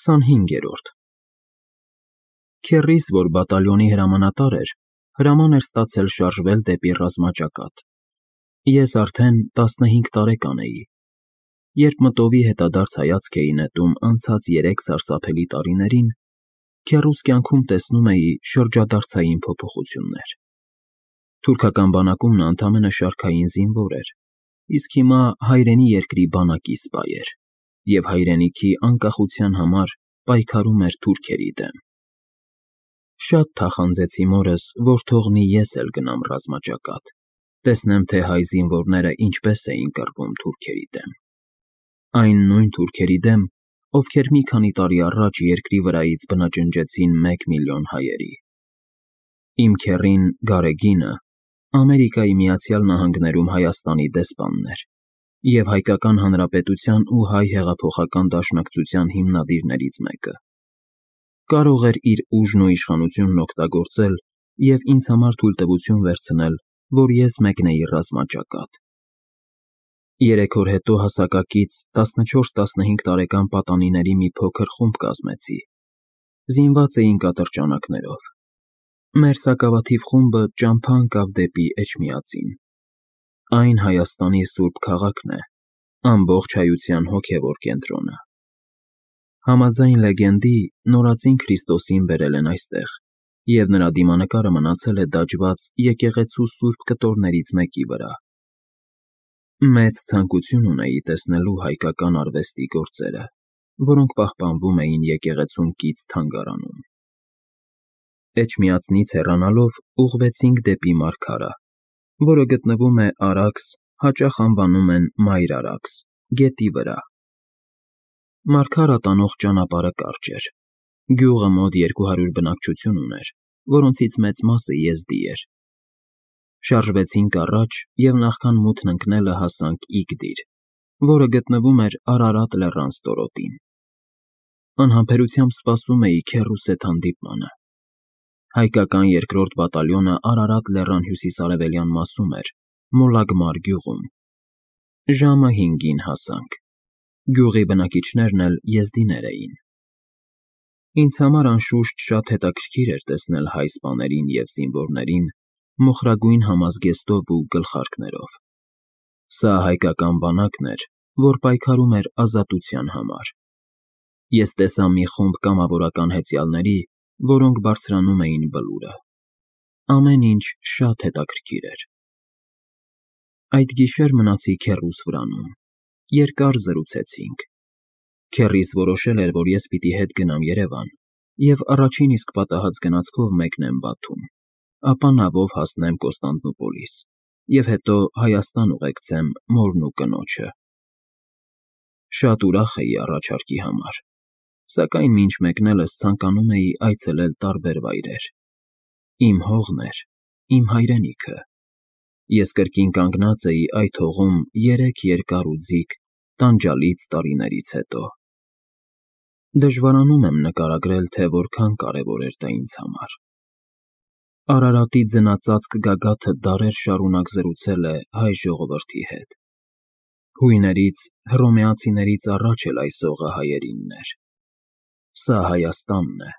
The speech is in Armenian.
25-րդ Քեռիս, որ բատալյոնի հրամանատար էր, հրաման էր ստացել շարժվել դեպի ռազմաճակատ։ Ես արդեն 15 տարեկան էի, երբ մտովի հետադարձ հայացք էի նետում անցած 3 սարսափելի տարիներին, քեռուս կյանքում տեսնում էի շրջադարձային փոփոխություններ։ Թուրքական բանակում նա ընդամենը շարքային զինվոր էր, իսկ հիմա հայրենի երկրի բանակի սպա էր և հայրենիքի անկախության համար պայքարում էր թուրքերի դեմ։ Շատ թախանձեցի մորս, որ թողնի ես էլ գնամ ռազմաճակատ, տեսնեմ, թե հայ զինվորները ինչպես էին կռվում թուրքերի դեմ։ Այն նույն թուրքերի դեմ, ովքեր մի քանի տարի առաջ երկրի վրայից բնաջնջեցին 1 միլիոն հայերի։ Իմ քեռին Գարեգինը Ամերիկայի Միացյալ Նահանգներում Հայաստանի դեսպանն էր և Հայկական Հանրապետության ու Հայ հեղափոխական դաշնակցության հիմնադիրներից մեկը։ Կարող էր իր ուժն ու իշխանությունն օգտագործել և ինձ համար թույլտվություն վերցնել, որ ես մեկնեի ռազմաճակատ։ 3 օր հետո հասակակից 14-15 տարեկան պատանիների մի փոքր խումբ կազմեցի։ Զինված էինք ատրճանակներով։ Մեր սակավաթիվ խումբը ճամփա ընկավ դեպի Էջմիածին։ Այն Հայաստանի սուրբ քաղաքն է, ամբողջ հայության հոգևոր կենտրոնը։ Համաձայն լեգենդի, նորածին Քրիստոսին բերել են այստեղ, և նրա դիմանկարը մնացել է դաջված եկեղեցու սուրբ կտորներից մեկի վրա։ Մեծ ցանկություն ունեի տեսնելու հայկական արվեստի գործերը, որոնք պահպանվում էին եկեղեցուն կից թանգարանում։ Էջմիածնից հեռանալով ուղղվեցինք դեպի Մարգարա, որը գտնվում է Արաքս, հաճախ անվանում են Մայր Արաքս, գետի վրա։ Մարգարա տանող ճանապարհը կարճ էր։ Գյուղը մոտ 200 բնակչություն ուներ, որոնցից մեծ մասը եզդի էր։ Շարժվեցինք առաջ և նախքան մութն ընկնելը հասանք Իգդիր, որը գտնվում էր Արարատ լեռան ստորոտին։ Անհամբերությամբ սպասում էի քեռուս հետ հանդիպմանը։ Հայկական 2-րդ բատալյոնը Արարատ լեռան հյուսիս-արևելյան մասում էր, Մոլագմար գյուղում։ Ժամը 5-ին հասանք։ Գյուղի բնակիչներն էլ եզդիներ էին։ Ինձ համար անշուշտ շատ հետաքրքիր էր տեսնել հայ սպաներին և զինվորներին մոխրագույն համազգեստով ու գլխարկներով։ Սա հայկական բանակն էր, որ պայքարում էր ազատության համար։ Ես տեսա մի խումբ կամավորական հեծյալների, որոնք բարձրանում էին բլուրը։ Ամեն ինչ շատ հետաքրքիր էր։ Այդ գիշեր մնացի քեռուս վրանում։ Երկար զրուցեցինք։ Քեռիս որոշել էր, որ ես պիտի հետ գնամ Երևան և առաջին իսկ պատահած գնացքով մեկնեմ Բաթում, ապա նավով հասնեմ Կոստանդնուպոլիս և հետո Հայաստան ուղեկցեմ մորն ու կնոջը։ Շատ ուրախ էի առաջարկի համար, սակայն մինչ մեկնելս ցանկանում էի այցելել տարբեր վայրեր։ Իմ հողն էր, իմ հայրենիքը։ Ես կրկին կանգնած էի այդ հողում 3 երկար ու ձիգ տանջալից տարիներից հետո։ Դժվարանում եմ նկարագրել, թե որքան կարևոր էր դա ինձ համար։ Արարատի ձնածածկ գագաթը դարեր շարունակ զրուցել է հայ ժողովրդի հետ։ Հույներից, հռոմեացիներից առաջ էլ այս հողը հայերինն էր։ Սա Հայաստանն է,